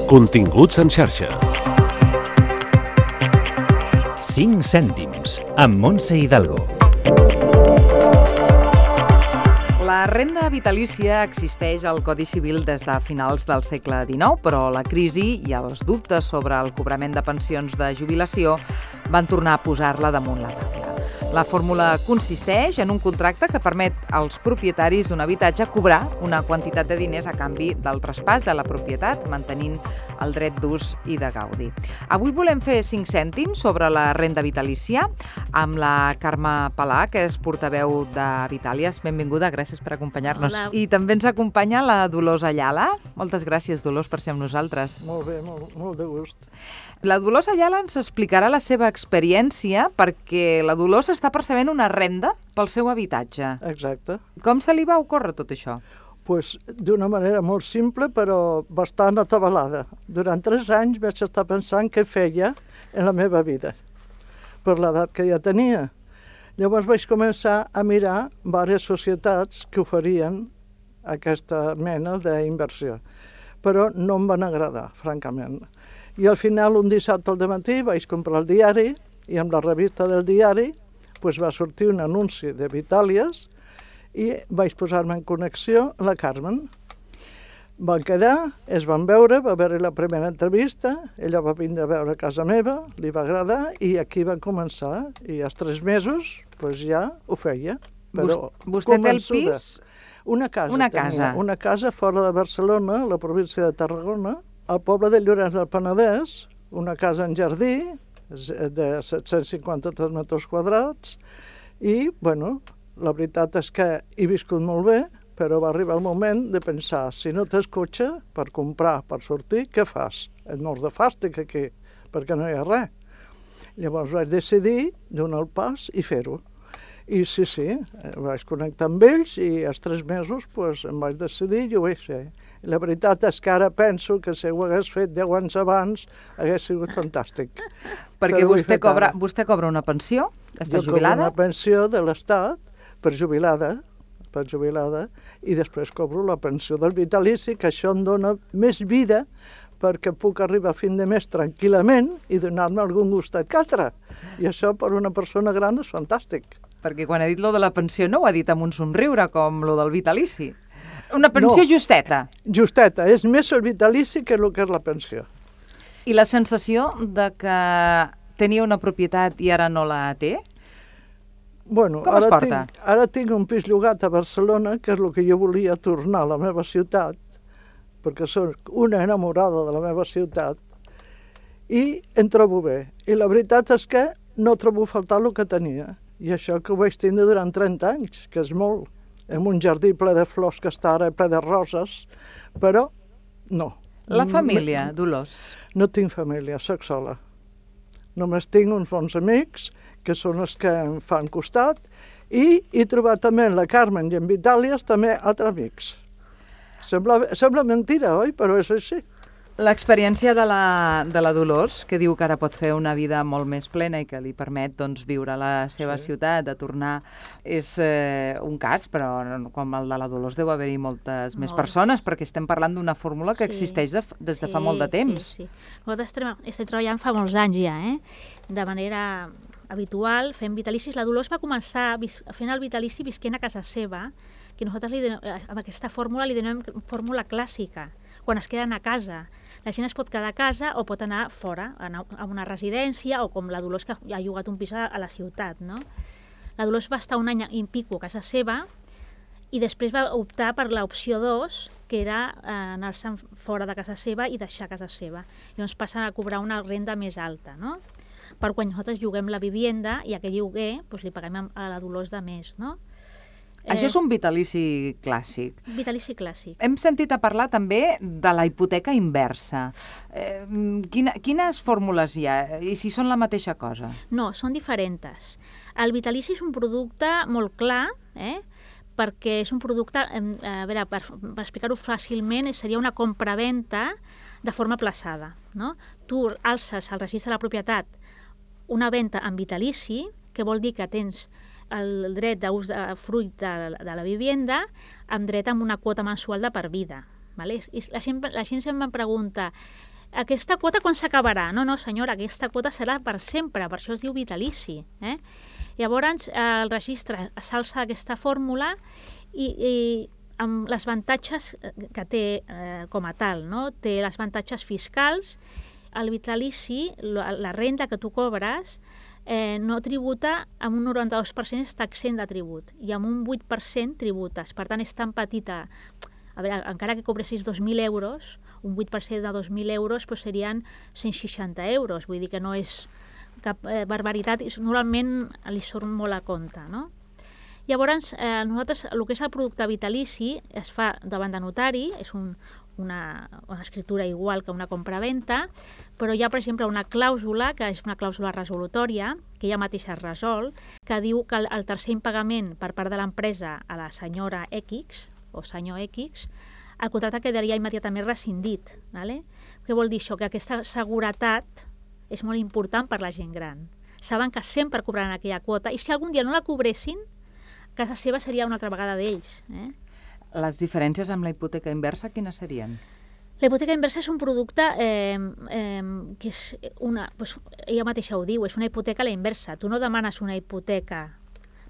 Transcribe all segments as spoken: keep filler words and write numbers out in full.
Continguts en xarxa. cinc cèntims, amb Montse Hidalgo. La renda vitalícia existeix al Codi Civil des de finals del segle dinou, però la crisi i els dubtes sobre el cobrament de pensions de jubilació van tornar a posar-la damunt la taula. La fórmula consisteix en un contracte que permet als propietaris d'un habitatge cobrar una quantitat de diners a canvi del traspàs de la propietat, mantenint el dret d'ús i de gaudi. Avui volem fer cinc cèntims sobre la renda vitalícia amb la Carme Palà, que és portaveu de Vitàlies. Benvinguda, gràcies per acompanyar-nos. Hola. I també ens acompanya la Dolors Ayala. Moltes gràcies, Dolors, per ser amb nosaltres. Molt bé, molt, molt de gust. La Dolors Ayala ens explicarà la seva experiència perquè la Dolors està percebent una renda pel seu habitatge. Exacte. Com se li va ocórrer tot això? Pues, d'una manera molt simple, però bastant atabalada. Durant tres anys vaig estar pensant què feia en la meva vida, per l'edat que ja tenia. Llavors vaig començar a mirar diverses societats que oferien aquesta mena d'inversió, però no em van agradar, francament. I al final, un dissabte al dematí, vaig comprar el diari i amb la revista del diari pues, va sortir un anunci de Vitàlies i vaig posar-me en connexió amb la Carmen. Van quedar, es van veure, va haver la primera entrevista, ella va vindre a veure a casa meva, li va agradar i aquí va començar. I als tres mesos pues, ja ho feia. Però Vostè té el pis? Una casa. Una tenia, casa. Una casa fora de Barcelona, a la província de Tarragona, al poble de Llorenç del Penedès, una casa en jardí de set-cents cinquanta-tres metres quadrats i, bueno, la veritat és que he viscut molt bé, però va arribar el moment de pensar, si no tens cotxe per comprar, per sortir, què fas? Et mors de fàstic aquí, perquè no hi ha res. Llavors vaig decidir donar el pas i fer-ho. I sí, sí, vaig connectar amb ells i als tres mesos pues, em vaig decidir i ho vaig fer. I la veritat és que ara penso que si ho hagués fet deu anys abans hagués sigut fantàstic. Perquè Però ho he vostè fet cobra, ara. vostè cobra una pensió? Està Jo cobro jubilada? una pensió de l'Estat per jubilada, per jubilada, i després cobro la pensió del vitalici, que això em dona més vida perquè puc arribar a fin de mes tranquil·lament i donar-me algun gustet que altre. I això per una persona gran és fantàstic. Perquè quan ha dit lo de la pensió no ho ha dit amb un somriure, com lo del vitalici. Una pensió No. justeta. Justeta, és més el vitalici que el que és la pensió. I la sensació de que tenia una propietat i ara no la té? Bueno, Com es ara porta? Tinc, ara tinc un pis llogat a Barcelona, que és el que jo volia tornar a la meva ciutat, perquè soc una enamorada de la meva ciutat, i em trobo bé. I la veritat és que no trobo a faltar el que tenia. I això que ho vaig tindre durant trenta anys, que és molt, en un jardí ple de flors que està ara ple de roses, però no. La família, Dolors. No tinc família, sóc sola. Només tinc uns bons amics, que són els que em fan costat, i he trobat també en la Carmen i en Vitàlies també altres amics. Sembla, sembla mentira, oi? Però és així. L'experiència de la, de la Dolors, que diu que ara pot fer una vida molt més plena i que li permet doncs, viure a la seva Sí. ciutat, de tornar, és eh, un cas, però no- com el de la Dolors deu haver-hi moltes més Molt. persones, perquè estem parlant d'una fórmula que Sí. existeix de, f- des de fa Sí, molt de temps. Sí, sí. Nosaltres estem, estem treballant fa molts anys ja, eh? De manera habitual, fem vitalicis. La Dolors va començar vis- fent el vitalici visquent a casa seva, que nosaltres li denem, eh, amb aquesta fórmula li denem fórmula clàssica, quan es queden a casa. La gent es pot quedar a casa o pot anar fora, anar a una residència, o com la Dolors, que ha llogat un pis a, a la ciutat, no? La Dolors va estar un any i pico a casa seva i després va optar per l'opció dos, que era eh, anar-se'n fora de casa seva i deixar casa seva. Llavors passen a cobrar una renda més alta, no? Per quan nosaltres lloguem la vivienda i aquell lloguer doncs, li paguem a- a la Dolors de més, no? Això és un vitalici clàssic. Vitalici clàssic. Hem sentit a parlar també de la hipoteca inversa. Eh, quina, quines fórmules hi ha i si són la mateixa cosa? No, són diferents. El vitalici és un producte molt clar, eh? perquè és un producte, em, a veure, per, per explicar-ho fàcilment, seria una compra-venta de forma plaçada, no? Tu alces al registre de la propietat una venda en vitalici, que vol dir que tens el dret d'ús de fruit de, de la vivienda amb dret a una quota mensual de per vida. Vale? I la gent, la gent sempre em pregunta aquesta quota quan s'acabarà? No, no, senyora, aquesta quota serà per sempre, per això es diu vitalici. Eh? Llavors, eh, el registre s'alça aquesta fórmula i, i amb les avantatges que té eh, com a tal, no? Té les avantatges fiscals, el vitalici, la, la renda que tu cobres, eh, no tributa, amb un noranta-dos per cent està exempt de tribut i amb un vuit per cent tributes. Per tant, és tan petita. A veure, encara que cobressis dos mil euros, un vuit per cent de dos mil euros doncs serien cent seixanta euros. Vull dir que no és cap eh, barbaritat, i normalment li surt molt a compte, no? Llavors, eh, nosaltres, el que és el producte vitalici es fa davant de notari, és un, una, una escritura igual que una compra-venta, però hi ha, per exemple, una clàusula, que és una clàusula resolutòria, que ella mateixa es resol, que diu que el, el tercer impagament per part de l'empresa a la senyora X, o senyor X, el contracte quedaria immediatament rescindit. ¿Vale? Què vol dir això? Que aquesta seguretat és molt important per la gent gran. Saben que sempre cobraran aquella quota, i si algun dia no la cobressin, casa seva seria una altra vegada d'ells. Eh? Les diferències amb la hipoteca inversa, quines serien? La hipoteca inversa és un producte eh, eh, que és una... Doncs, ella mateixa ho diu, és una hipoteca a la inversa. Tu no demanes una hipoteca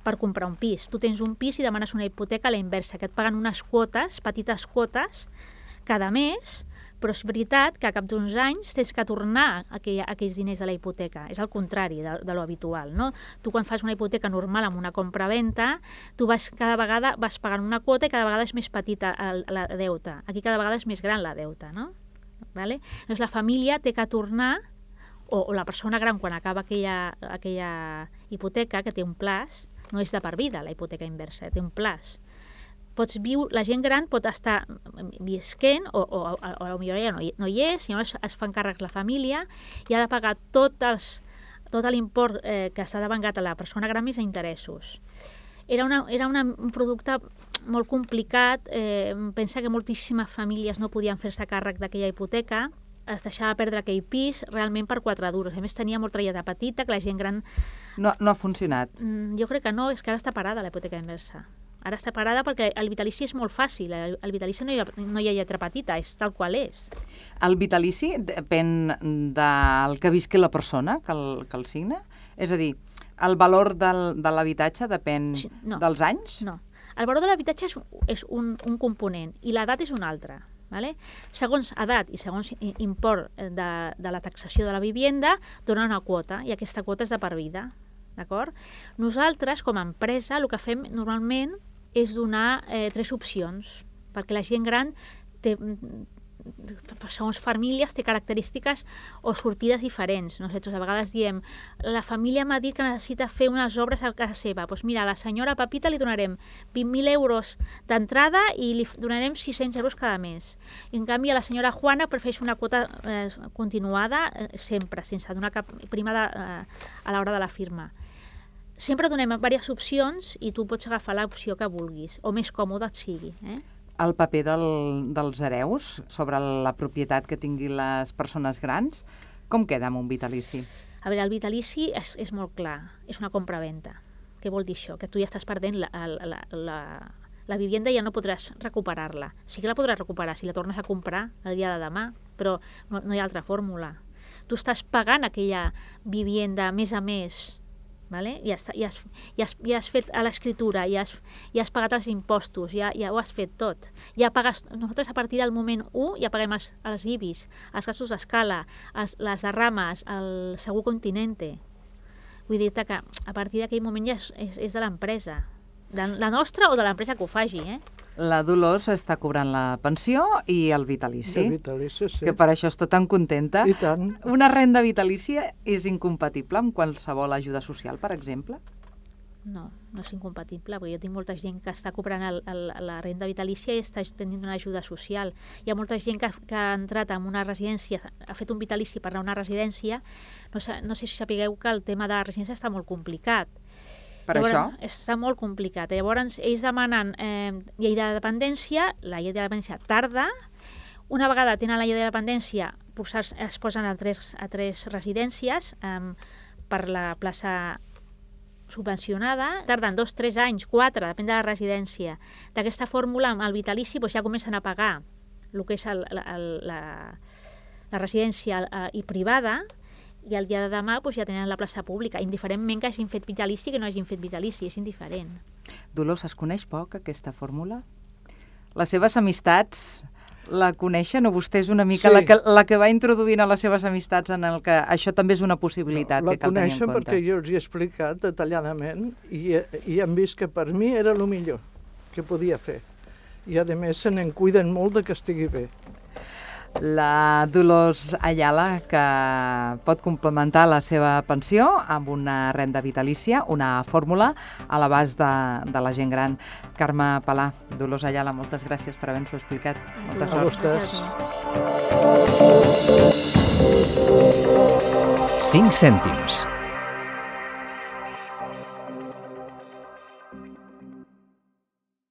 per comprar un pis. Tu tens un pis i demanes una hipoteca a la inversa, que et paguen unes quotes, petites quotes, cada mes, però és veritat que a cap d'uns anys tens que tornar aquell, aquells diners de la hipoteca. És el contrari de, de lo habitual, no? Tu quan fas una hipoteca normal amb una compra-venta, tu vas, cada vegada vas pagant una quota i cada vegada és més petita el, la deuta. Aquí cada vegada és més gran la deuta, no? Vale? Llavors la família té que tornar, o, o la persona gran quan acaba aquella, aquella hipoteca, que té un plaç, no és de per vida la hipoteca inversa, té un plaç. Pots viure, la gent gran pot estar visquent, o, o, o, o a millor ja no, no hi és, i llavors es fan càrrec la família i ha de pagar tot, els, tot l'import eh, que s'ha devengat a la persona gran més a interessos. Era, una, era una, un producte molt complicat, eh, pensa que moltíssimes famílies no podien fer-se càrrec d'aquella hipoteca, es deixava perdre aquell pis realment per quatre duros. A més, tenia molta lletra petita, que la gent gran... No, no ha funcionat. Jo crec que no, és que ara està parada la hipoteca inversa. Ara està parada perquè el vitalici és molt fàcil. El vitalici no hi ha, no hi ha lletra petita, és tal qual és. El vitalici depèn del que visqui la persona que el, que el signa? És a dir, el valor del, de l'habitatge depèn sí, no, dels anys? No. El valor de l'habitatge és, és un, un component i l'edat és un altre. Vale? Segons edat i segons import de, de la taxació de la vivienda, dona una quota, i aquesta quota és de per vida. D'acord? Nosaltres, com a empresa, el que fem normalment és donar eh, tres opcions, perquè la gent gran té, segons famílies, té característiques o sortides diferents. Nosaltres a vegades diem, la família m'ha dit que necessita fer unes obres a casa seva. Doncs mira, a la senyora Pepita li donarem vint mil euros d'entrada i li donarem sis-cents euros cada mes. I en canvi a la senyora Juana prefereix una quota eh, continuada eh, sempre, sense donar cap prima de, eh, a l'hora de la firma. Sempre donem diverses opcions i tu pots agafar l'opció que vulguis, o més còmode et sigui. Eh? El paper del, dels hereus sobre la propietat que tinguin les persones grans, com queda amb un vitalici? A veure, el vitalici és, és molt clar, és una compra-venta. Què vol dir això? Que tu ja estàs perdent la, la, la, la vivienda i ja no podràs recuperar-la. Sí que la podràs recuperar si la tornes a comprar el dia de demà, però no, no hi ha altra fórmula. Tu estàs pagant aquella vivienda mes a mes, vale? I, has, i, has, i, has, i has fet a l'escriptura, i has, i has pagat els impostos, ja, ja ho has fet tot. Ja pagues, nosaltres a partir del moment u ja paguem els, els I B I S, els gastos d'escala, les derrames, el segur continente. Vull dir-te que a partir d'aquell moment ja és, és, és de l'empresa, de la nostra o de l'empresa que ho faci. Eh? La Dolors està cobrant la pensió i el vitalici, El vitalici, sí. que per això està tan contenta. I tant. Una renda vitalícia és incompatible amb qualsevol ajuda social, per exemple? No, no és incompatible, perquè jo tinc molta gent que està cobrant el, el, la renda vitalícia i està tenint una ajuda social. Hi ha molta gent que, que ha entrat en una residència, ha fet un vitalici per anar a una residència, no, no sé si sapigueu que el tema de la residència està molt complicat. Per Llavors, això? Està molt complicat. Llavors, ells demanen eh, llei de dependència, la llei de dependència tarda. Una vegada tenen la llei de dependència, es posen a tres, a tres residències eh, per la plaça subvencionada. Tarden dos, tres anys, quatre, depèn de la residència. D'aquesta fórmula, amb el vitalici, doncs ja comencen a pagar el que és el, el, la, la residència eh, i privada, i el dia de demà doncs, ja tenen la plaça pública, indiferentment que hagin fet vitalici que no hagin fet vitalici, és indiferent. Dolors, es coneix poc aquesta fórmula? Les seves amistats la coneixen o vostè és una mica Sí. la, que, la que va introduint a les seves amistats en el que això també és una possibilitat La que cal tenir en coneixen compte? perquè jo els hi he explicat detalladament i, i han vist que per mi era el millor que podia fer. I a més se n'en cuiden molt de que estigui bé. La Dolors Ayala, que pot complementar la seva pensió amb una renda vitalícia, una fórmula a l'abast de, de la gent gran. Carme Palà, Dolors Ayala, moltes gràcies per haver-nos-ho explicat. Molta A sort. vostès. cinc cèntims.